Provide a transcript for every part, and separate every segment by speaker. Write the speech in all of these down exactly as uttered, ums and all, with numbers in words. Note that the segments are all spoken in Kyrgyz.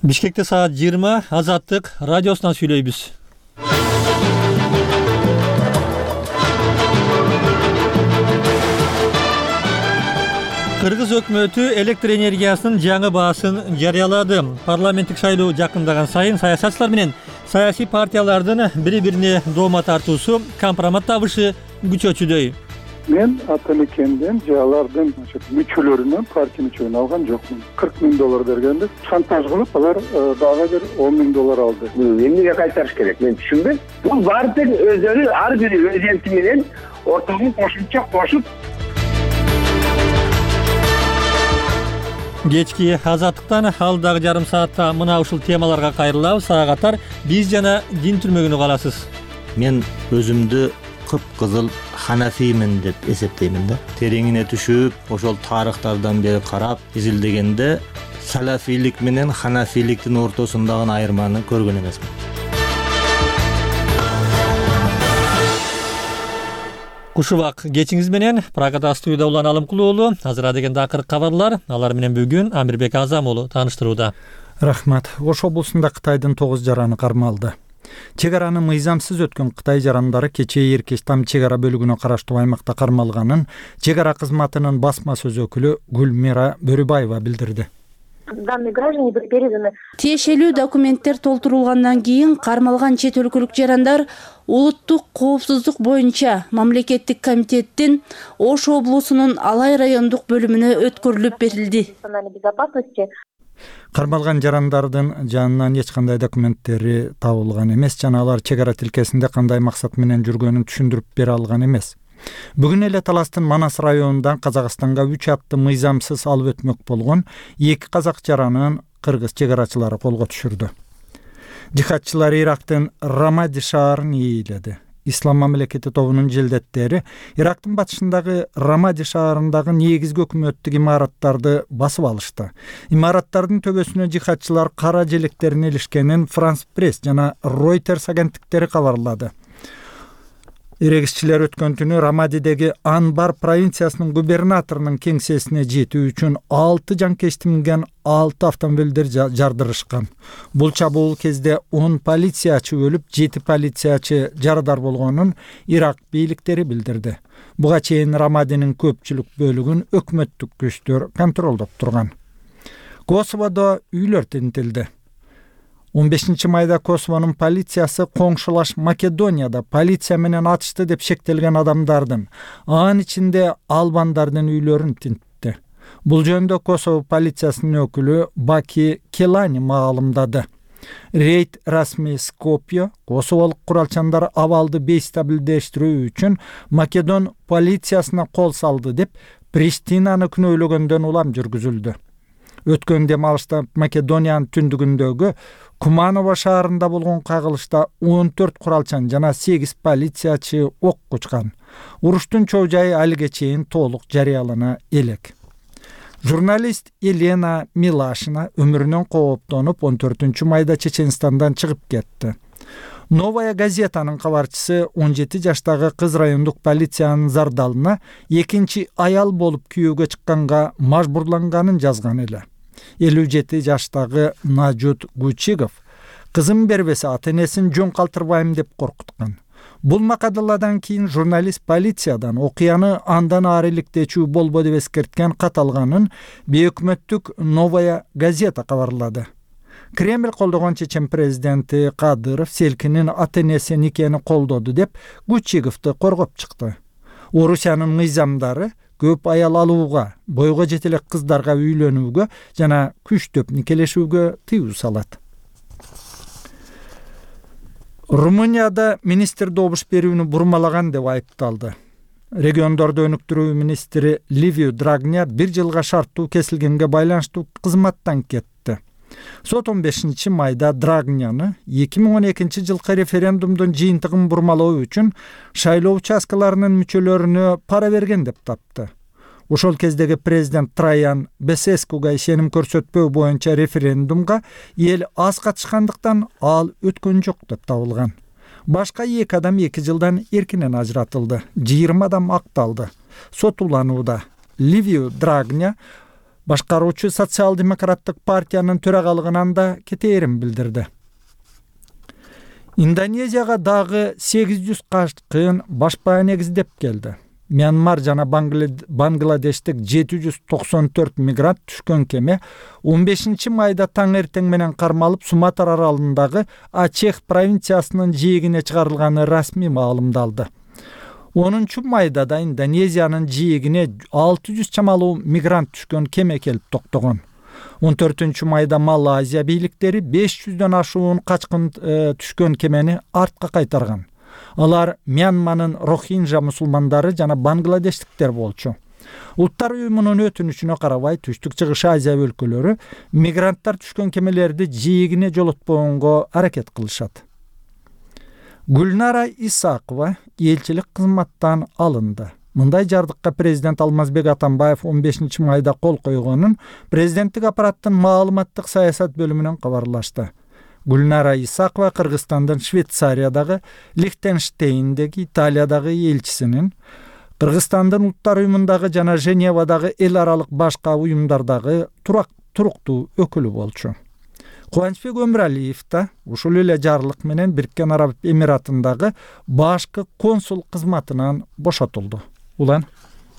Speaker 1: Бишкекте саат жыйырма Азаттык радиосунан сүйлөйбүз. Кыргыз өкмөтү электр энергиясынын жаңы баасын жарыялады. Парламенттик шайлоо жакындаган сайын саясатчылар менен саясий партиялардын бири-бирине доoma тартуусу, компромат табышы күчөчүдөй.
Speaker 2: Мен ата-мекенден же алардын мүчөлөрүнөн, партия мүчөлөрүн алган жокмун. кырк миң доллар бергенде шантаж кылып, алар дагы бир он миң доллар алды.
Speaker 3: Эмнеге кайтарыш керек? Мен түшүнбөйм. Бул баардык өздөрү ар бири өз элчи менен ортогун кошумча кошуп.
Speaker 1: Кечки Азаттыктан алдагы жарым саатта мына ушул темаларга кайрылабыз. Сага катар биз жана дин түрмөгүнү каласыз.
Speaker 4: Мен өзүмдү кып-кызыл ханафиймин деп эсептеймин да. Тереңине түшүп, ошол тарыхтардан бери карап, изилдегенде салафийлик менен ханафийликтин ортосундагы айырманы көргөн эмесмин.
Speaker 1: Кушубак кечиңиз менен Прагада студияда Улан Алымкул уулу. Азыр дегенде акыркы кабарлар, алар менен бүгүн Амирбек Азам уулу тааныштырууда.
Speaker 5: Рахмат. Ош облусунда Кытайдын тогуз жараны кармалды. Чек араны мыйзамсыз өткөн Кытай жарандары кечээ Эркеш там чек ара бөлүгүнө караштуу аймакта кармалганын чек ара кызматынын басма сөз өкүлү Гүлмира Бөрүбаева билдирди.
Speaker 6: Данные граждане были переданы.
Speaker 7: Тиешелүү документтер толтурулгандан кийин кармалган чет өлкөлүк жарандар улуттук коопсуздук боюнча мамлекеттик комитеттин Ош облусунун Алай райондук бөлүмүнө өткөрүлүп берилди.
Speaker 6: Национальной безопасности.
Speaker 5: Кармалган жарандардын жанынан эч кандай документтери табылган эмес жана алар чек ара тилкесинде кандай максат менен жүргөнүн түшүндүрүп бере алган эмес. Бүгүн эле Таластын Манас районундан Казакстанга үч атты мыйзамсыз алып өтмөк болгон эки казак жаранын кыргыз чек арачылары колго түшүрдү. Жихадчылар Ирактын Рамади шаарын ээледи. Ислам мамлекети тобунун желдеттери Ирактын батышындагы Рамади шаарындагы негизги өкмөттүк имараттарды басып алышты. Имараттардын төбөсүнө жихадчылар кара желектерин илишкенин Франс Пресс жана Reuters агенттиктери кабарлады. Эрегисчилер өткөн түнү Рамадидеги Анбар провинциясынын губернаторунун кеңсесине жетүү үчүн алты жанкечти минген алты автомобилдер жардырышкан. Бул чабуул кезде он полициячы өлүп, жети полициячы жарадар болгонун Ирак бийликтери билдирди. Буга чейин Рамадинин көпчүлүк бөлүгүн өкмөттүк күчтөр контролдоп турган. Косоводо үйлөр тинтилди. он бешинчи майда Косовонун полициясы коңшулаш Македонияда полиция менен атышты деп шектелген адамдардын, анын ичинде албандардын үйлөрүн тинтти. Бул жөнүндө Косово полициясынын өкүлү Баки Келани маалымдады. Рейд расмий Скопье Косоволук куралчандар абалды бейстабилдештирүү үчүн Македон полициясына кол салды деп Приштинаны күнөөлөгөндөн улам жүргүзүлдү. Өткөн дем алышта Македониянын түндүгүндөгү Куманово шаарында болгон кагылышта он төрт куралчан жана сегиз полициячы ок кучкан. Уруштун чоо жайы алиге чейин толук жарыялана элек. Журналист Елена Милашина өмүрүнөн кооптонуп он төртүнчү майда Чеченстандан чыгып кетти. Новая газетанын кабарчысы он жети жаштагы кыз райондук полициянын зардалына экинчи аял болуп күйөөгө чыкканга мажбурланганын жазган эле. элүү жети жаштагы Нажут Гучигов кызым бербесе ата-энесин жөн калтырбайм деп коркуткан. Бул макадаладан кийин журналист полициядан окуяны андан ары иликтечүү болбо деп эскерткен кат алганын бейөкмөттүк Новая газета кабарлады. Кремль колдогон чечен президенти Кадыров Селкинин ата-энеси никени колдоду деп Гучиговду коргоп чыкты. Орусиянын мыйзамдары көп аял алууга, бойго жете элек кыздарга үйлөнүүгө жана күчтөп никелешүүгө тыюу салат. Румынияда министр добуш берүүнү бурмалаган деп айыпталды. Региондорду өнүктүрүү министри Ливио Драгня бир жылга шарттуу кесилгенге байланыштуу кызматтан кетти. Сот он бешинчи майда Драгняны эки миң он экинчи жылкы референдумдун жыйынтыгын бурмалоо үчүн шайлоо участкаларынын мүчөлөрүнө пара берген деп тапты. Ошол кездеги президент Траян Бесескуга ишеним көрсөтпөө боюнча референдумга эл аз катышкандыктан ал өткөн жок деп табылган. Башка эки адам эки жылдан эркинен ажыратылды. жыйырма адам акталды. Сот уланууда. Ливио Драгня башкаруучу социал-демократтык партиянын төрагалыгынан да кетээрин билдирди. Индонезияга дагы сегиз жүз кашкын башпаа негиздеп келди. Мьянмар жана Бангладештик жети жүз токсон төрт мигрант түшкөн кеме он бешинчи майда таң эртең менен кармалып Суматра аралындагы Ачех провинциясынын жээгине чыгарылганы расмий маалымдалды. онунчу майда да Индонезиянын жээгине алты жүз чамалуу мигрант түшкөн кеме келип токтогон. он төртүнчү майда Малайзия бийликтери беш жүздөн ашуун качкын түшкөн кемени артка кайтарган. Алар Мьянманын Рохинжа мусулмандары жана бангладештиктер болчу. Улуттар уюмунун өтүнүчүнө карабай Түштүк Чыгыш Азия өлкөлөрү мигранттар түшкөн кемелерди жээгине жолотпогонго аракет кылышат. Гүлнара Исакова элчилик кызматтан алынды. Мындай жардыкка президент Алмазбек Атамбаев он бешинчи майда кол койгонун президенттик аппараттын маалыматтык саясат бөлүмүнөн кабарлашты. Гүлнара Исакова Кыргызстандын Швейцариядагы, Лихтенштейндеги, Италиядагы элчисинин, Кыргызстандын Улуттар уюмундагы жана Женевадагы эл аралык башка уюмдардагы турак туруктуу өкүлү болчу. Кубанычбек Өмүралиев да ушул эле жарлык менен Бириккен Араб Эмиратындагы башкы консул кызматынан бошотулду. Улан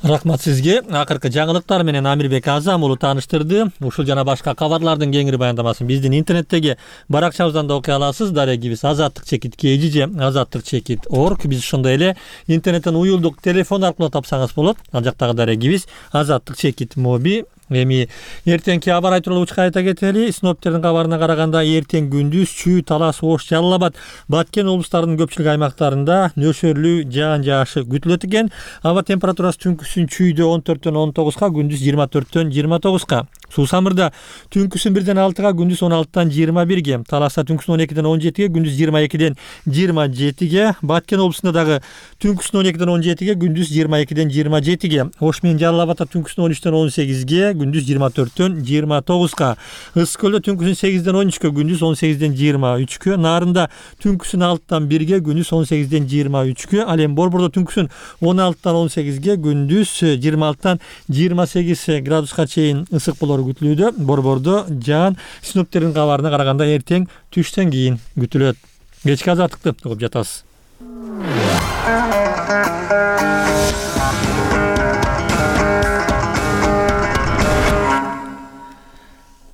Speaker 1: Рахмат сизге. Акыркы жаңылыктар менен Амирбек Азам уулу тааныштырды. Ушул жана башка кабарлардын кеңири баяндамасын биздин интернеттеги баракчабыздан да окуй аласыз. Дарегибиз азаттык чекит kg же азаттык чекит org. Биз ошондой эле интернеттен уюлдук телефон аркылуу тапсаңыз болот. Ал жактагы дарегибиз азаттык чекит моби. Эми эртеңки аба ырайы тууралуу учка айта кетели. Синоптиктердин кабарына караганда эртең күндүз Чүй, Талас, Ош, Жалал Абад, Баткен облустарынын көпчүлүк аймактарында нөсөрлүү жаан жаашы күтүлөт экен. Аба температурасы түнкүсүн Чүйдө он төрттөн он тогузга, күндүз жыйырма төрттөн жыйырма тогузга. Суу Самырда түнкүсүн бирден алтыга, күндүз он алтыдан жыйырма бирге, Таласта түнкүсүн он экиден он жетиге, күндүз жыйырма экиден жыйырма жетиге, Баткен облусунда дагы түнкүсүн он экиден он жетиге, күндүз жыйырма экиден жыйырма жетиге, Ош менен Жалал Абадта түнкүсүн он үчтөн он сегизге, күндүз жыйырма төрттөн жыйырма тогузга, Ысык көлдө түнкүсүн сегизден он үчкө, күндүз он сегизден жыйырма үчкө, Нарында түнкүсүн алтыдан бирге, күндүз он сегизден жыйырма үчкө, ал эми Борбордо түнкүсүн он алтыдан он сегизге, күндүз жыйырма алтыдан жыйырма сегиз градуска чейин ысык болору күтүлүүдө. Борбордо жаан синоптиктердин кабарына караганда эртең түштөн кийин күтүлөт. Кечки азаттыкты угуп жатасыз.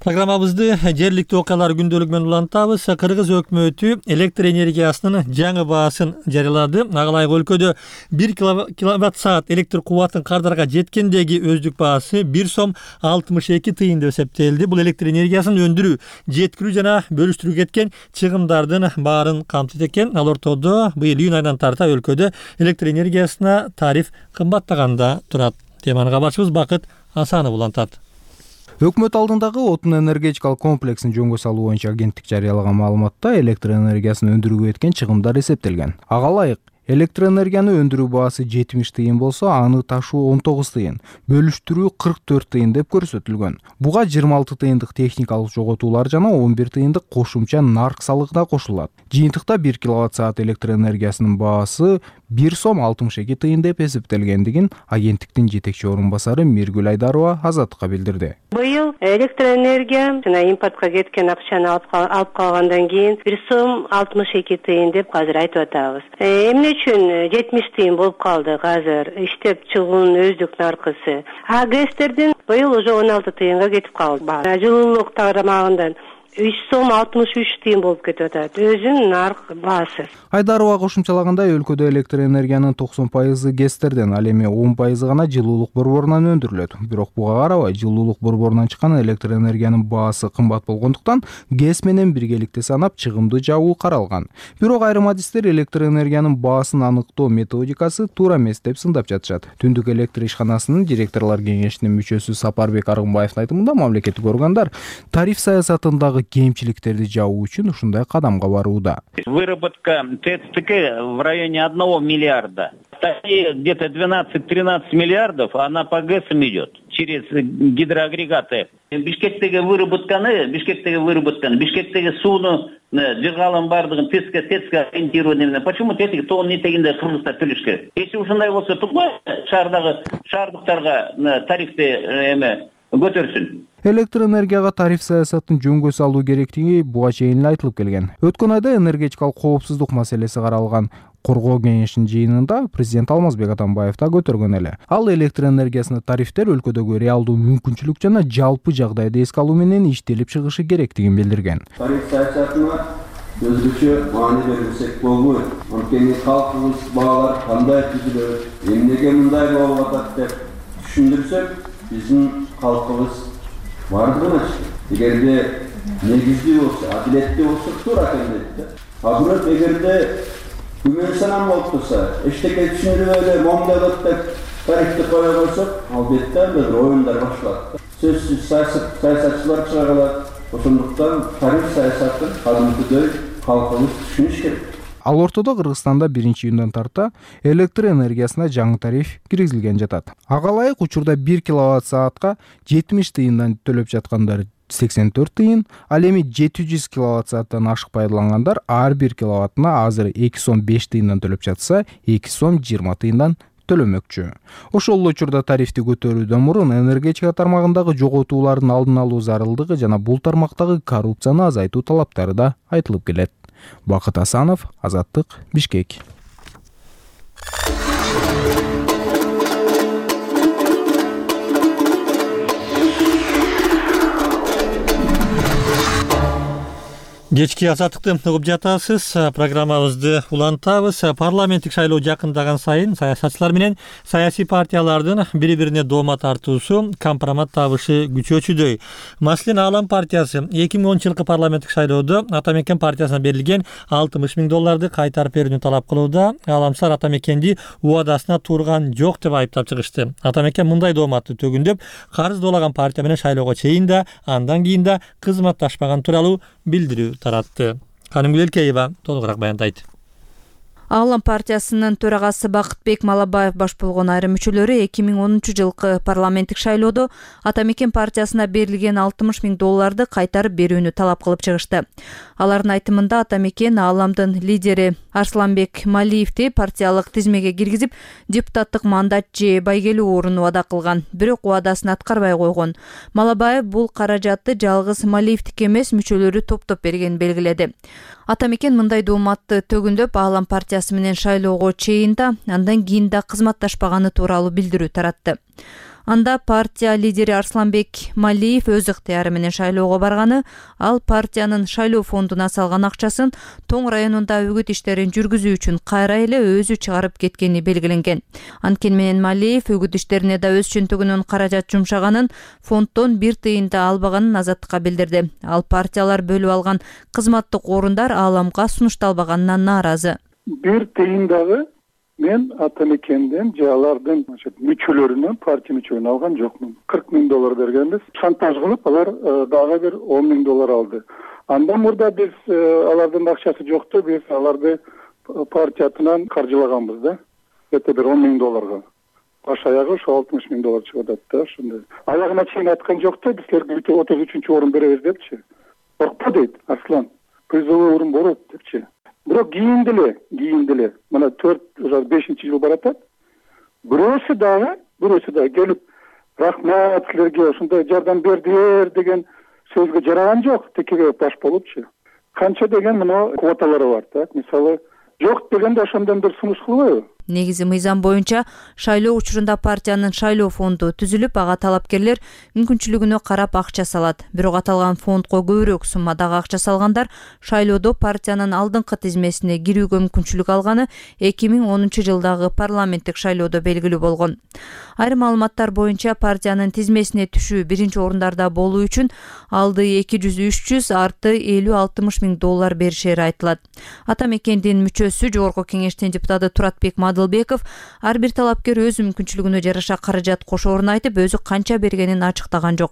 Speaker 1: Программабызды жергиликтүү окуялар күндөлүгү менен улантабыз. Кыргыз өкмөтү электр энергиясынын жаңы баасын жарыялады. Ага ылайык өлкөдө бир киловатт саат электр кубатын кардарга жеткендеги өздүк баасы бир сом алтымыш эки тыйын деп эсептелди. Бул электр энергиясын өндүрүү, жеткирүү жана бөлүштүрүү кеткен чыгымдардын баарын камтыйт экен. Ал ортодо быйыл июнь айынан тарта өлкөдө электр энергиясына тариф кымбаттаганда турат. Теманы кабарчыбыз Бакыт Асанов улантат.
Speaker 8: Өкмөт алдындагы отун энергетикалык комплексин жөнгө салуу боюнча агенттик жарыялаган маалыматта электр энергиясын өндүрүүгө кеткен чыгымдар эсептелген. Ага ылайык электр энергияны өндүрүү баасы жетимиш тыйын болсо, аны ташуу он тогуз тыйын, бөлүштүрүү кырк төрт тыйын деп көрсөтүлгөн. Буга жыйырма алты тыйындык техникалык жоготуулар жана он бир тыйындык кошумча нарк салыгы да кошулат. Жыйынтыкта бир киловатт саат электр энергиясынын баасы бир сом алтымыш эки тыйын деп эсептелгендигин агенттиктин жетекчи орун басары Миргүл Айдарова Азаттыкка билдирди.
Speaker 9: Быйыл электр энергия жана импортко кеткен акчаны алып калгандан кийин бир сом алтымыш эки тыйын деп азыр айтып атабыз. Эмне үчүн жетимиш тыйын болуп калды азыр иштеп чыгуунун өздүк наркысы? А гэстердин быйыл уже он алты тыйынга кетип калды. Жылуулук тарамагынан үч сом алтымыш үч тыйын болуп кетип атат. Өзүнүн нарк баасы.
Speaker 8: Айдарова кошумчалагандай, өлкөдө электр энергиянын токсон пайызы гэстерден, ал эми он пайызы гана жылуулук борборунан өндүрүлөт. Бирок буга карабай, жылуулук борборунан чыккан электр энергиянын баасы кымбат болгондуктан гэс менен биргеликте санап чыгымды жабуу каралган. Бирок айрым адистер электр энергиянын баасын аныктоо методикасы туура эмес деп сындап жатышат. Түндүк электр ишканасынын директорлор кеңешинин мүчөсү Сапарбек Аргынбаевдин айтымында, мамлекеттик органдар тариф саясатындагы кемчиликтерди жабуу үчүн ушундай кадамга барууда.
Speaker 10: Выработка ТЭЦ-ТК в районе одного миллиарда. Где-то двенадцать-тринадцать миллиардов, она по ГЭСам идет через гидроагрегаты. Бишкектеги выработканы, Бишкектеги выработканы, Бишкектеги сууну жыгалын бардыгын ТЭЦке, ТЭЦке ориентированный. Почему ТЭЦке тоон нетегинде Кыргызда төлөш керек? Если ушундай болсо, тукмай шаардагы шаардыктарга тарифти эме көтөрсүн.
Speaker 8: Электр энергияга тариф саясатын жөнгө салуу керектиги буга чейин эле айтылып келген. Өткөн айда энергетикалык коопсуздук маселеси каралган коргоо кеңешинин жыйынында президент Алмазбек Атамбаев да көтөргөн эле. Ал электр энергиясына тарифтер өлкөдөгү реалдуу мүмкүнчүлүк жана жалпы жагдайды эске алуу менен иштелип чыгышы керектигин билдирген.
Speaker 11: Тариф саясатына өзгөчө маани берилсек болбойт. Анткени калкыбыз баалар кандай түзүлөт, эмнеге мындай болуп атат деп түшүндүрсөк, биздин калкыбыз бардыгын ачты. Эгерде негиздүү болсо, адилеттүү болсо туура экен дейт. А бирок эгерде күмөн санам болуп турса, эчтеке түшүндүрүп эле момдолот деп тарифти кое койсок, албетте анда бир оюндар башталат. Сөзсүз саясатчылар чыга калат. Ошондуктан тариф саясатын кадимкидей калкыбыз түшүнүш керек.
Speaker 8: Ал ортодо Кыргызстанда биринчи июндан тарта электр энергиясына жаңы тариф киргизилген жатат. Ага ылайык учурда бир киловатт саатка жетимиш тыйындан төлөп жаткандар сексен төрт тыйын, ал эми жети жүз киловатт сааттан ашык пайдалангандар ар бир киловаттына азыр эки сом беш тыйындан төлөп жатса, эки сом жыйырма тыйындан төлөмөкчү. Ошол эле учурда тарифти көтөрүүдөн мурун энергетика тармагындагы жоготуулардын алдын алуу зарылдыгы жана бул тармактагы коррупцияны азайтуу талаптары да айтылып келет. Бакыт Асанов, Азаттык, Бишкек.
Speaker 1: Кечки азаттыкты угуп жатасыз. Программабызды улантабыз. Парламенттик шайлоо жакындаган сайын саясатчылар менен саясий партиялардын бири-бирине доoma тартуусу, компромат табышы күчөчүдөй. Маселен, Аалам партиясы эки миң онунчу жылкы парламенттик шайлоодо Атамекен партиясына берилген алтымыш миң долларды кайтарып берүүнү талап кылууда. Ааламчылар Атамекенди убадасына турган жок деп айыптап чыгышты. Атамекен мындай дооматты төгүндөп, карыз доолаган партия менен шайлоого чейин да, андан кийин да кызматташпаган тууралуу билдирүү таратты. Канымгүл Элкеева толугураак баяндайт.
Speaker 12: Аалам партиясынын төрагасы Бакытбек Малабаев баш болгон айрым мүчөлөрү эки миң онунчу жылкы парламенттик шайлоодо Атамекен партиясына берилген алтымыш миң долларды кайтарып берүүнү талап кылып чыгышты. Алардын айтымында Атамекен Ааламдын лидери Арсланбек Малиевди партиялык тизмеге киргизип, депутаттык мандат же байгелүү орун убада кылган, бирок убадасын аткарбай койгон. Малабаев бул каражатты жалгыз Малиевдики эмес, мүчөлөрү топтоп бергенин белгиледи. Атамекен мындай дооматты төгүндөп, Аалам партиясы менен шайлоого чейин да, андан кийин да кызматташпаганы тууралуу билдирүү таратты. Анда партия лидери Арсланбек Малиев өз ыктыяры менен шайлоого барганы, ал партиянын шайлоо фондуна салган акчасын Тоң районунда үгүт иштерин жүргүзүү үчүн кайра эле өзү чыгарып кеткени белгиленген. Анткени менен Малиев үгүт иштерине да өз чөнтөгүнөн каражат жумшаганын, фонддон бир тыйын да албаганын Азаттыкка билдирди. Ал партиялар бөлүп алган кызматтык орундар Ааламга сунушталбаганынан нааразы.
Speaker 2: Бир тыйын дагы мен Атамекенден же алардын мүчөлөрүнөн партия мүчөлүн алган жокмун. кырк миң доллар бергенбиз. Шантаж кылып, алар дагы бир он миң доллар алды. Андан мурда биз алардын акчасы жокту, биз аларды партиятынан каржылаганбыз да. Эте бир он миң долларга. Баш аягы ошо алтымыш миң доллар чыгып атат да, ошондой. Аягына чейин айткан жокто, биз силерге отуз үчүнчү орун беребиз депчи. Коркпо дейт Арслан. Призовой орун болот депчи. Бирок кийин деле, кийин деле, мына төрт бешинчи жыл баратат. Бирөөсү дагы, бирөөсү дагы келип, рахмат силерге ушундай жардам бердиңер деген сөзгө жараган жок, текеге баш болупчу. Канча деген мына квоталары бар, так? Мисалы, жок дегенде ошондон бир сунуш кылбайбы?
Speaker 12: Негизи мыйзам боюнча шайлоо учурунда партиянын шайлоо фонду түзүлүп, ага талапкерлер мүмкүнчүлүгүнө карап акча салат. Бирок аталган фондго көбүрөөк суммадагы акча салгандар шайлоодо партиянын алдыңкы тизмесине кирүүгө мүмкүнчүлүк алганы эки миң онунчу жылдагы парламенттик шайлоодо белгилүү болгон. Айрым маалыматтар боюнча партиянын тизмесине түшүү биринчи орундарда болуу үчүн алды эки жүз үч жүз арты элүү алтымыш миң доллар беришери айтылат. Атамекендин мүчөсү, жогорку кеңештин депутаты Туратбек Адылбеков ар бир талапкер өз мүмкүнчүлүгүнө жараша каражат кошоорун айтып, өзү канча бергенин ачыктаган жок.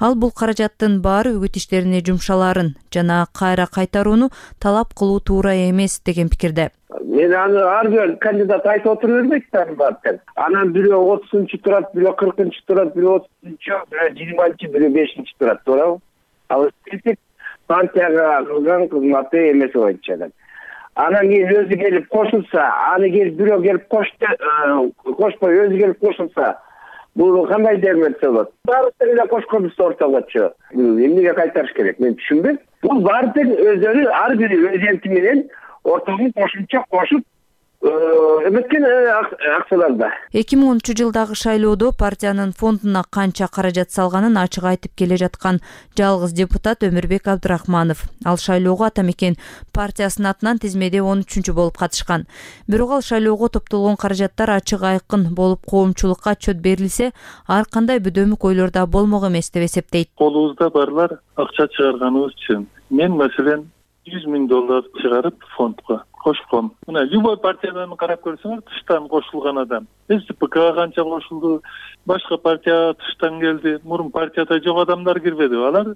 Speaker 12: Ал бул каражаттын баары үгүт иштерине жумшаларын жана кайра кайтарууну талап кылуу туура эмес деген пикирде.
Speaker 3: Мен аны ар бир кандидат айтып отура бербейт да. Анан бирөө отузунчу турат, бирөө кыркынчы турат, бирөө отузунчу, бирөө жыйырманчы, бирөө бешинчи турат, туурабы? Ал партияга кылган кызматы эмес боюнча. Анан кийин өзү келип кошулса, аны келип бирөө келип кошто, кошпой өзү келип кошулса, Бул кандай дермет болот? Баары эле кошконубузду ортогочу. Эмнеге кайтарыш керек? Мен түшүнбөйм. Бул баары өздөрү ар бири өз энти менен ортогун кошумча кошуп эметкен акцияларда.
Speaker 12: эки миң онунчу жылдагы шайлоодо партиянын фондуна канча каражат салганын ачык айтып келе жаткан жалгыз депутат Өмүрбек Абдрахманов. Ал шайлоого Ата Мекен партиясынын атынан тизмеде он үчүнчү болуп катышкан. Бирок ал шайлоого топтолгон каражаттар ачык айкын болуп коомчулукка отчет берилсе, ар кандай бөдөмүк ойлор да болмок эмес деп эсептейт.
Speaker 13: Колубузда барлар акча чыгарганыбыз үчүн. Мен маселен жүз миң доллар чыгарып фондко кошком. Мына любой партиядан карап көрсөңөр, тыштан кошулган адам. СДПК канча кошулду, башка партия тыштан келди. Мурун партияда жок адамдар кирбеди. Алар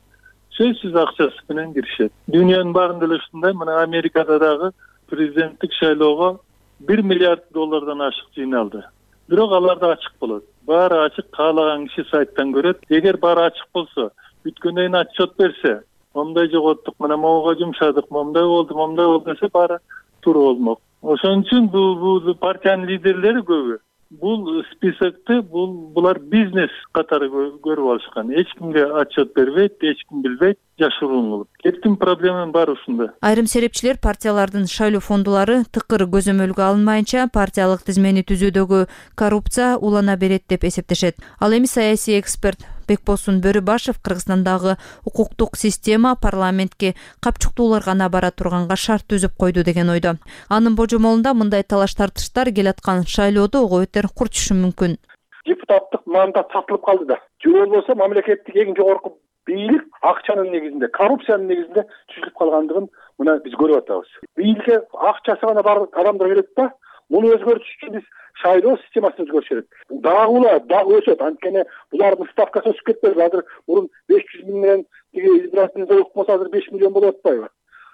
Speaker 13: сөзсүз акчасы менен киришет. Дүйнөнүн баарында эле ушундай. Мына Америкада дагы президенттик шайлоого бир миллиард доллардан ашык жыйналды. Бирок алар да ачык болот. Баары ачык, каалаган киши сайттан көрөт. Эгер баары ачык болсо, бүткөндөн кийин отчет берсе, момундай жоготтук, мына могуга жумшадык, момундай болду, момундай болду десе баары туура болмок. Ошон үчүн бул бул партиянын лидерлери көбү бул списокты бул булар бизнес катары көрүп алышкан. Эч кимге отчет бербейт, эч ким билбейт, жашыруун кылып. Кептин проблеманын баары ушунда.
Speaker 12: Айрым серепчилер партиялардын шайлоо фондулары тыкыр көзөмөлгө алынмайынча партиялык тизмени түзүүдөгү коррупция улана берет деп эсептешет. Ал эми саясий эксперт Бекбосун Бөрүбашев Кыргызстандагы укуктук система парламентке капчуктуулар гана бара турганга шарт түзүп койду деген ойдо. Анын божомолунда мындай талаш тартыштар келаткан шайлоодо ого бетер курчушу мүмкүн.
Speaker 14: Депутаттык мандат сатылып калды да. Же болбосо мамлекеттик эң жогорку бийлик акчанын негизинде, коррупциянын негизинде түзүлүп калгандыгын мына биз көрүп атабыз. Бийликке акчасы гана бар адамдар келет да, муну өзгөртүш үчүн биз шайлоо системасын өзгөртүш керек. Дагы улар дагы өсөт. Анткени булардын ставкасы өсүп кетпеди. Азыр мурун беш жүз миң менен тиги избирательный залог болсо азыр беш миллион болуп атпайбы?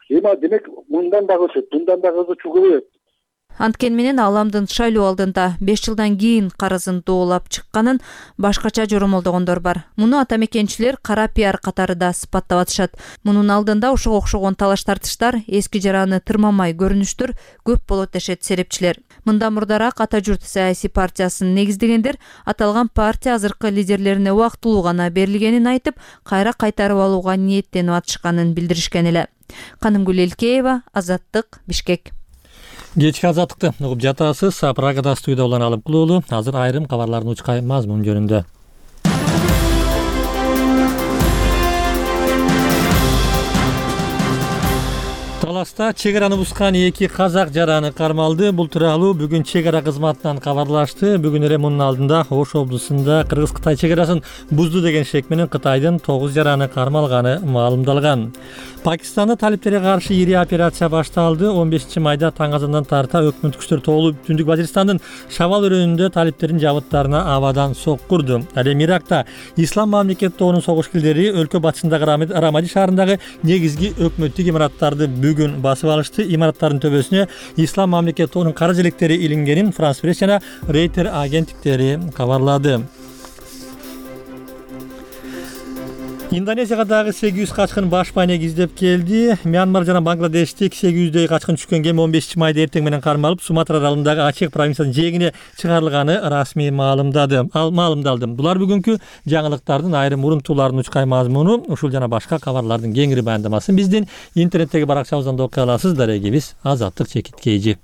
Speaker 14: Эми демек мындан дагы өсөт, мындан дагы өсөт көбөйөт.
Speaker 12: Анткени менен Аламдын шайлоо алдында беш жылдан кийин карызын доолап чыкканын башкача жоромолдогондор бар. Муну ата мекенчилер кара пиар катары да сыпаттап атышат. Мунун алдында ошого окшогон талаш тартыштар, эски жараны тырмамай көрүнүштөр көп болот дешет серепчилер. Мындан мурдараак Ата журт саясий партиясын негиздегендер аталган партия азыркы лидерлерине убактылуу гана берилгенин айтып, кайра кайтарып алууга ниеттенип атышканын билдиришкен эле. Канымгүл Элкеева, Азаттык, Бишкек.
Speaker 1: Кечки азаттыкты угуп жатасыз. Прагада студияда улан алып кылуулу. Азыр айрым кабарлардын учкай мазмун жөнүндө. Таласта чек араны бускан эки казак жараны кармалды. Бул тууралуу бүгүн чек ара кызматынан кабарлашты. Бүгүн эле мунун алдында Ош облусунда Кыргыз-Кытай чек арасын бузду деген шек менен Кытайдын тогуз жараны кармалганы маалымдалган. Пакистанда талиптерге каршы ири операция башталды. он бешинчи майда таң азандан тарта өкмөт күчтөр толуп Түндүк Башкырстандын Шавал өрөөнүндө талиптердин жабыттарына абадан соккурду. Ал эми Иракта Ислам мамлекет тобунун согуш-килдери өлкө батышындагы Рамади шаарындагы негизги өкмөттүк имараттарды бүгүн басып алышты. Имараттардын төбөсүнө Ислам мамлекет тобунун кара желектери илингенин Франс Пресс жана Рейтер агенттиктери кабарлады. Индонезияга дагы сегиз жүз качкын баш байнек издеп келди. Мьянмар жана Бангладештик сегиз жүздөй качкын түшкөн кеме он бешинчи майда эртең менен кармалып, Суматра аралындагы Ачех провинциясынын жээгине чыгарылганы расмий маалымдады. Ал маалымдалды. Булар бүгүнкү жаңылыктардын айрым урунтууларынын учкай мазмуну. Ушул жана башка кабарлардын кеңири баяндамасын биздин интернеттеги баракчабыздан да окуй аласыз. Дарегибиз Азаттык Чекит Кейжи.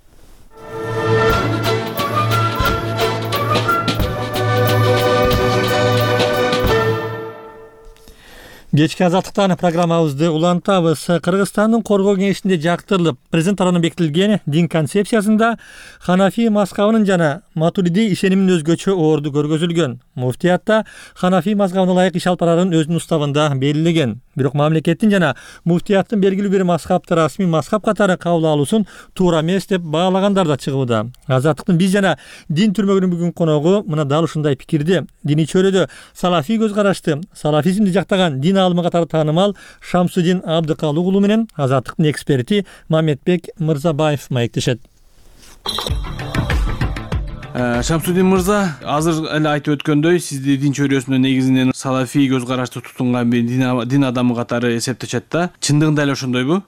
Speaker 1: Кечки азаттыктан программабызды улантабыз. Кыргызстандын коргоо кеңешинде жактырылып, президент тарабынан бекитилген дин концепциясында Ханафи мазхабынын жана Матуриди ишениминин өзгөчө орду көргөзүлгөн. Муфтиятта Ханафи мазхабына ылайык иш алып барарын өзүнүн уставында белгилеген. Бирок мамлекеттин жана муфтияттын белгилүү бир мазхабты расмий мазхаб катары кабыл алуусун туура эмес деп баалагандар да чыгууда. Азаттыктын биз жана дин түрмөгүнүн бүгүн коногу мына дал ушундай пикирди. Диний чөйрөдө салафий көз карашты, салафизмди жактаган дин алымы катары таанымал Шамсудин Абдыкалык уулу менен Азаттыктын эксперти Мамедбек Мырзабаев маектешет.
Speaker 15: Шамсудин мырза, азыр эле айтып өткөндөй, сизди дин чөйрөсүндө негизинен салафий көз карашты тутунган бир дин адамы катары эсептешет да. Чындыгында эле ошондойбу?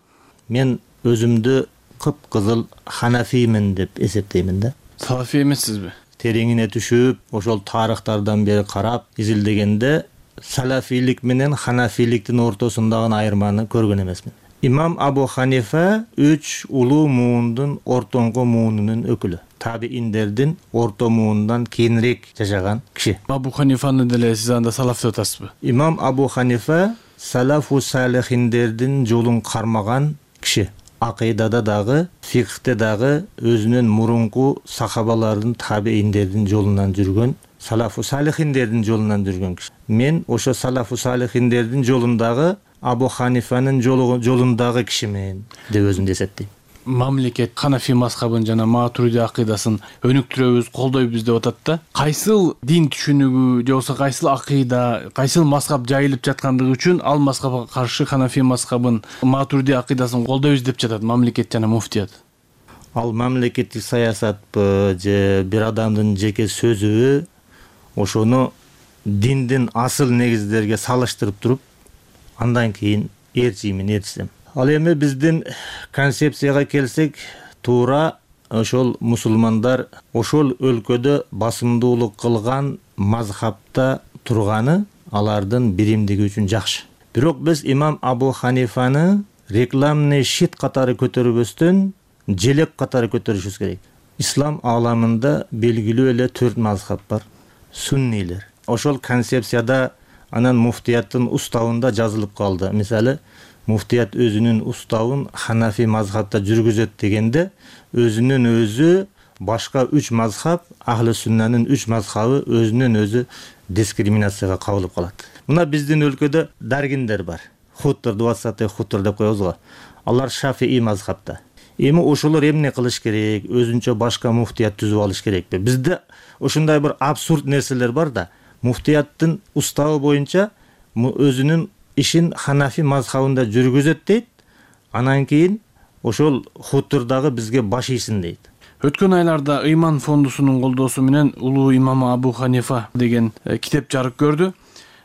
Speaker 4: Мен өзүмдү кыпкызыл ханафиймин деп эсептеймин да.
Speaker 15: Салафий эмессизби?
Speaker 4: тереңине түшүп, ошол тарыхтардан бери карап изилдегенде салафийлик менен ханафийликтин ортосундагы айырманы көргөн эмесмин. Имам Абу Ханифа үч улуу муундун ортоңку муунунун өкүлү. Табииндердин орто муундан кийинирээк жашаган киши.
Speaker 15: Абу Ханифаны деле сиз анда салаф деп атасызбы?
Speaker 4: Имам Абу Ханифа салафу салихиндердин жолун кармаган киши. Акыйдада дагы, фикхте дагы өзүнүн мурунку сахабалардын, табииндердин жолунан жүргөн, салафу салихиндердин жолунан жүргөн киши. Мен ошо салафу салихиндердин жолундагы Абу Ханифанын жолундагы кишимен деп өзүмдү эсептейм.
Speaker 15: Мамлекет Ханафи мазхабын жана Матуриди акыйдасын өнүктүрөбүз, колдойбуз деп атат да. Кайсыл дин түшүнүгү же болбосо кайсыл акыйда, кайсыл мазхаб жайылып жаткандыгы үчүн ал мазхабка каршы Ханафи мазхабын, Матуриди акыйдасын колдойбуз деп жатат мамлекет жана муфтият.
Speaker 4: Ал мамлекеттик саясатпы же бир адамдын жеке сөзүбү, ошону диндин асыл негиздерге салыштырып туруп, андан кийин ээрчиймин, ээрчисем. Ал эми биздин концепцияга келсек, туура ошол мусулмандар ошол өлкөдө басымдуулук кылган мазхабта турганы алардын биримдиги үчүн жакшы. Бирок биз имам Абу Ханифаны рекламный щит катары көтөрбөстөн желек катары көтөрүшүбүз керек. Ислам ааламында белгилүү эле төрт мазхаб бар. Суннилер. Ошол концепцияда анан муфтияттын уставында жазылып калды. Мисалы, муфтият өзүнүн уставын Ханафи мазхабта жүргүзөт дегенде, өзүнүн өзү башка үч мазхаб, ахли суннанын үч мазхабы өзүнүн өзү дискриминацияга кабылып калат. Мына биздин өлкөдө даргиндер бар. Хуттар, двадцатый хуттар деп коебуз го. Алар Шафии мазхабта. Эми ошолор эмне кылыш керек? Өзүнчө башка муфтият түзүп алыш керекпи? Бизде ошондой бир абсурд нерселер бар да. Муфтияттын уставы боюнча өзүнүн ишин Ханафи мазхабында жүргүзөт дейт. Анан кийин ошол хуттурдагы бизге баш ийсин дейт.
Speaker 15: Өткөн айларда Ыйман фондусунун колдоосу менен улуу имам Абу Ханифа деген китеп жарык көрдү.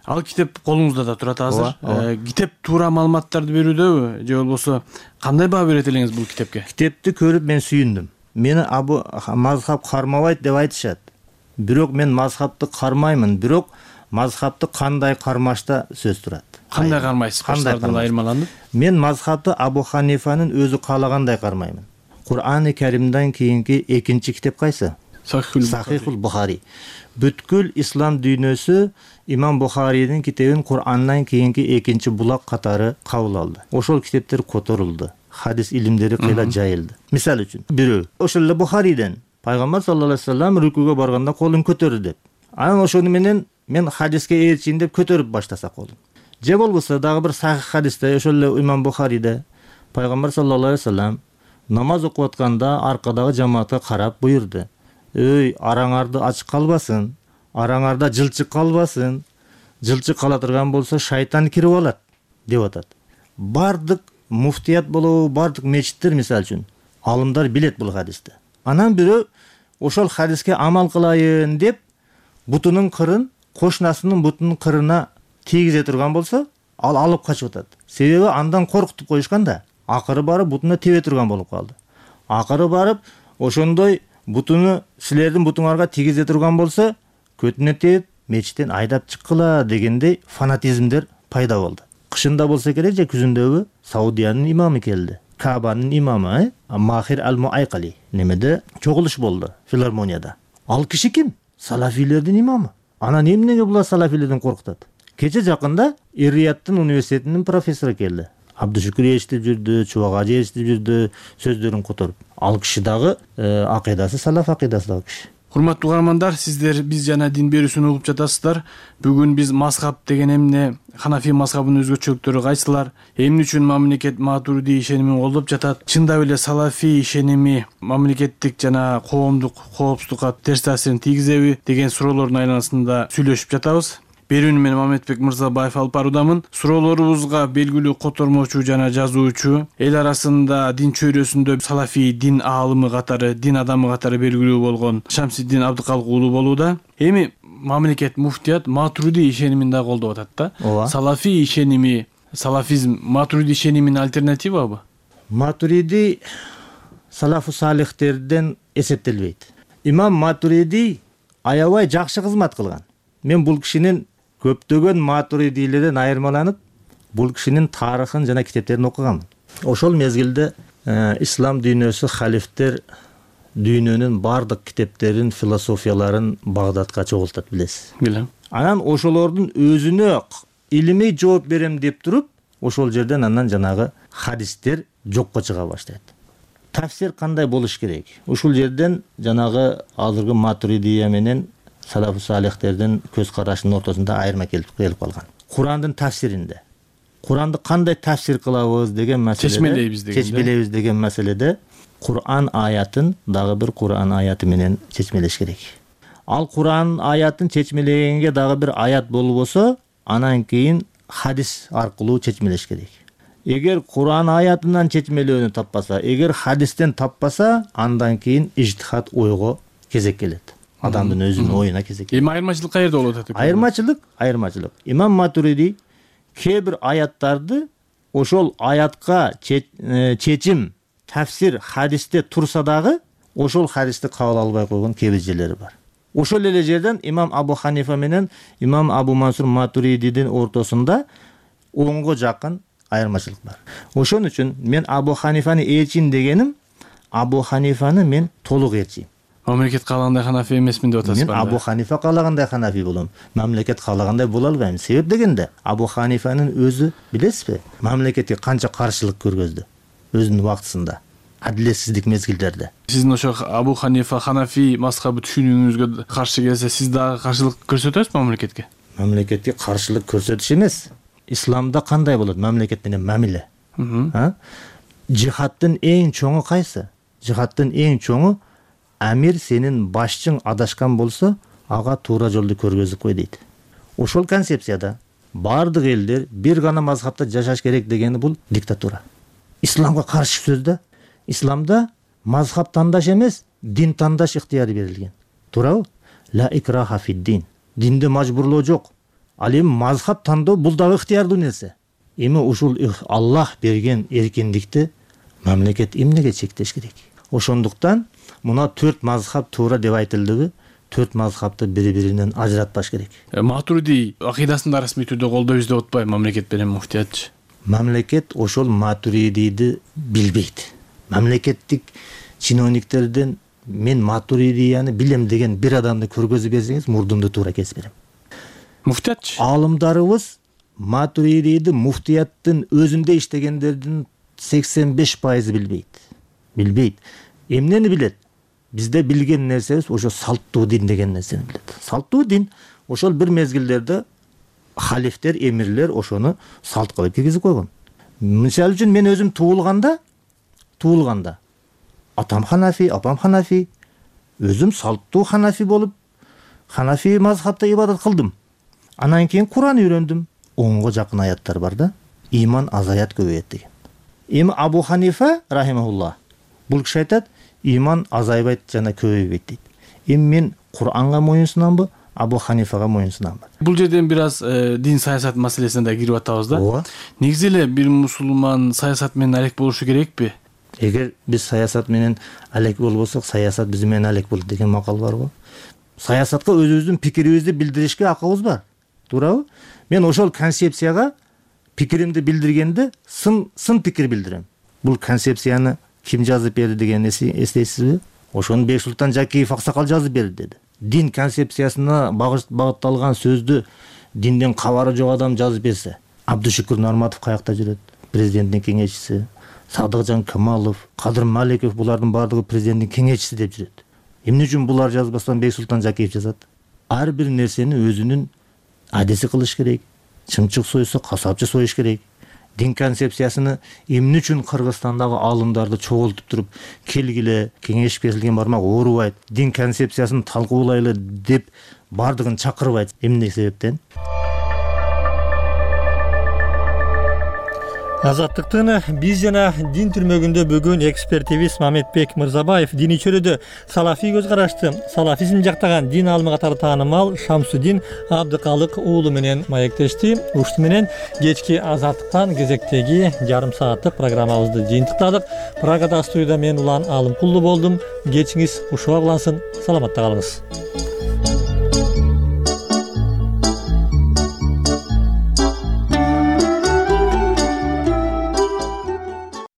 Speaker 15: Ал китеп колуңузда да турат азыр. Китеп туура маалыматтарды берүүдөбү же болбосо кандай баа берет элеңиз бул китепке?
Speaker 4: Китепти көрүп мен сүйүндүм. Мени Абу мазхаб кармабайт деп айтышат. Бирок мен мазхабты кармаймын, бирок мазхабты кандай кармашта сөз турат.
Speaker 15: Кандай кармайсыз? Баштардан айырмаланып?
Speaker 4: Мен мазхабты Абу Ханифанын өзү каалагандай кармаймын. Кур'ани Каримден кийинки экинчи китеп кайсы? Сахихул Бухари. Бүткүл ислам дүйнөсү имам Бухаринин китебин Кур'андан кийинки экинчи булак катары кабыл алды. Ошол китептер которулду. Хадис илимдери кыйла жайылды. Мисал үчүн, бирөө ошол эле Бухариден Пайгамбар саллаллаху алейхи вассалам рүкүгө барганда колун көтөрдү деп. Анан ошону менен мен хадиске ээрчийин деп көтөрүп баштаса колун. Же болбосо дагы бир сахих хадисте ошол эле имам Бухариде Пайгамбар саллаллаху алейхи вассалам намаз окуп атканда аркадагы жамаатка карап буйрду. Өй, араңарды ачык калбасын, араңарда жылчык калбасын. Жылчык кала турган болсо шайтан кирип алат деп атат. Бардык муфтият болобу, бардык мечиттер мисал үчүн алымдар билет бул хадисти. Анан бирөө ошол хадиске амал кылайын деп бутунун кырын кошунасынын бутунун кырына тийгизе турган болсо, ал алып качып атат. Себеби андан коркутуп коюшкан да. Акыры барып бутуна тебе турган болуп калды. Акыры барып ошондой бутуну силердин бутуңарга тийгизе турган болсо, көтүнө теп мечиттен айдап чыккыла дегендей фанатизмдер пайда болду. Кышында болсо керек же күзүндөбү Саудиянын имамы келди. Кабанын имамы, Махир ал-Муайкали немеде чогулуш болду филармонияда. Ал киши ким? Салафилердин имамы. Анан эмнеге булар салафилерден коркутат? Кече жакында Ир-Рияттын университетинин профессору келди. Абдушукур эшитип жүрдү, Чубагажы эшитип жүрдү, сөздөрүн которуп. Ал киши дагы акыйдасы салаф акыйдасындагы киши.
Speaker 15: Урматтуу угармандар, сиздер биз жана дин берүүсүн угуп жатасыздар. Бүгүн биз мазхаб деген эмне, Ханафи мазхабынын өзгөчөлүктөрү кайсылар, эмне үчүн мамлекет Матуриди ишенимин колдоп жатат, чындап эле салафи ишеними мамлекеттик жана коомдук коопсуздукка терс таасирин тийгизеби деген суроолордун айланасында сүйлөшүп жатабыз. Берүүнү мен Мамедбек Мырзабаев алып баруудамын. Суроолорубузга белгилүү котормочу жана жазуучу, эл арасында дин чөйрөсүндө салафи дин аалымы катары, дин адамы катары белгилүү болгон Шамсиддин Абдыкалык уулу болууда. Эми мамлекет муфтият Матуриди ишенимин да колдоп атат да. Салафи ишеними, салафизм Матуриди ишениминин альтернативабы?
Speaker 4: Матуриди салафу салихтерден эсептелбейт. Имам Матуриди аябай жакшы кызмат кылган. Мен бул кишинин көптөгөн матуридийлерден айырмаланып, бул кишинин тарыхын жана китептерин окуганмын. Ошол мезгилде ислам дүйнөсү, халифтер дүйнөнүн бардык китептерин, философияларын Багдадка чогултат, билесиз.
Speaker 15: Билем.
Speaker 4: Анан ошолордун өзүнө илимий жооп берем деп туруп, ошол жерден андан жанагы хадистер жокко чыга баштайт. Тафсир кандай болуш керек? Ушул жерден жанагы азыркы матуридия менен салафу салихтердин көз карашынын ортосунда айырма келип калган. Курандын тафсиринде Куранды кандай тафсир кылабыз деген маселеде,
Speaker 15: чечмелейбиз деген,
Speaker 4: чечмелейбиз деген маселеде Куран аятын дагы бир Куран аяты менен чечмелеш керек. Ал Куран аятын чечмелегенге дагы бир аят болбосо, анан кийин хадис аркылуу чечмелеш керек. Эгер Куран аятынан чечмелөөнү таппаса, эгер хадистен таппаса, андан кийин ижтихад ойго кезек келет. Адамдын өзүнүн оюна кезек келет.
Speaker 15: Эми айырмачылык каерде болуп атат?
Speaker 4: Айырмачылык, айырмачылык. Имам Матуриди кээ бир аяттарды ошол аятка чечим, тафсир хадисте турса дагы, ошол хадисти кабыл албай койгон кээ бир жерлери бар. Ошол эле жерден имам Абу Ханифа менен имам Абу Мансур Матуридидин ортосунда онго жакын айырмачылык бар. Ошон үчүн мен Абу Ханифаны ээрчим дегеним, Абу Ханифаны мен толук ээрчим.
Speaker 15: Мамлекет каалагандай ханафи эмесмин деп атасыз.
Speaker 4: Мен Абу Ханифа каалагандай ханафи болом. Мамлекет каалагандай боло албайм. Себеп дегенде, Абу Ханифанын өзү, билесизби, мамлекетке канча каршылык көргөздү өзүнүн убактысында, адилетсиздик мезгилдерде.
Speaker 15: Сиздин ошо Абу Ханифа ханафи мазхабы түшүнүүңүзгө каршы келсе, сиз дагы каршылык көрсөтөсүзбү мамлекетке?
Speaker 4: Мамлекетке каршылык көрсөтүш эмес. Исламда кандай болот мамлекет менен мамиле? Жихадтын эң чоңу кайсы? Жихадтын эң чоңу амир сенин башчың адашкан болсо, ага туура жолду көргөзүп кой дейт. Ошол концепцияда бардык элдер бир гана мазхабта жашаш керек дегени бул диктатура. Исламга каршы сөз да. Исламда мазхаб тандаш эмес, дин тандаш ыктыяры берилген. Туурабы? Ла икраха фид-дин. Динде мажбурлоо жок. Ал эми мазхаб тандоо бул дагы ыктыярдуу нерсе. Эми ушул Аллах берген эркиндикти мамлекет эмнеге чектеш керек? Ошондуктан мына төрт мазхаб туура деп айтылдыбы, төрт мазхабты бири-биринен ажыратпаш керек.
Speaker 15: Матуриди акыйдасын да расмий түрдө колдойбуз деп атпайбы мамлекет менен муфтиятчы?
Speaker 4: Мамлекет ошол Матуридиди билбейт. Мамлекеттик чиновниктерден мен Матуридияны билем деген бир адамды көргөзүп берсеңиз, мурдумду туура кесип берем.
Speaker 15: Муфтиятчы?
Speaker 4: Алымдарыбыз Матуридиди муфтияттын өзүндө иштегендердин сексен беш пайызы билбейт. Билбейт. Эмнени билет? Бизде билген нерсебиз ошо салттуу дин деген нерсени билет. Салттуу дин ошол бир мезгилдерде халифтер, эмирлер ошону салт кылып киргизип койгон. Мисалы үчүн мен өзүм туулганда, туулганда атам ханафи, апам ханафи, өзүм салттуу ханафи болуп, ханафи мазхабта ибадат кылдым. Анан кийин Куран үйрөндүм. онго жакын аяттар бар да, иман азаят көбөйөт деген. Эми Абу Ханифа рахимахуллах бул киши айтат, иман азайбайт жана көбөйбөйт дейт. Эми мен Куранга моюнсунамбы, Абу Ханифага моюнсунамбы?
Speaker 15: Бул жерден бир аз дин саясат маселесине да кирип атабыз да.
Speaker 4: Ооба.
Speaker 15: Негизи эле бир мусулман саясат менен алек болушу керекпи?
Speaker 4: Эгер биз саясат менен алек болбосок, саясат биз менен алек болот деген макал бар го. Саясатка өзүбүздүн пикирибизди билдиришке акыбыз бар. Туурабы? Мен ошол концепцияга пикиримди билдиргенде сын сын пикир билдирем. Бул концепцияны ким жазып берди дегенди эстейсизби? Ошону Бексултан Жакиев аксакал жазып берди деди. Дин концепциясына багытталган сөздү динден кабары жок адам жазып берсе, Абдушукур Нурматов каякта жүрөт? Президенттин кеңешчиси, Садыкжан Камалов, Кадыр Маликов, булардын бардыгы президенттин кеңешчиси деп жүрөт. Эмне үчүн булар жазбастан Бексултан Жакиев жазат? Ар бир нерсени өзүнүн адеси кылыш керек. Чымчык сойсо касапчы союш керек. Дин концепциясыны эмне үчүн Кыргызстандагы аалымдарды чогултуп туруп, келгиле, кеңеш берилген бармак оорубайт, дин концепциясын талкуулайлы деп бардыгын чакырбайт. Эмне себептен?
Speaker 1: Азаттыктын биз жана дин түрмөгүндө бүгүн экспертибиз Мамедбек Мырзабаев дини чөлөдө салафи көз карашты, салафизм жактаган дин алымы катары таанымал Шамсудин Абдыкалык уулу менен маектешти. Ушуну менен кечки Азаттыктан кезектеги жарым сааттык программабызды жыйынтыктадык. Прагада студияда мен Улан Алымкулду болдум. Кечиңиз ушуга улансын. Саламатта калыңыз.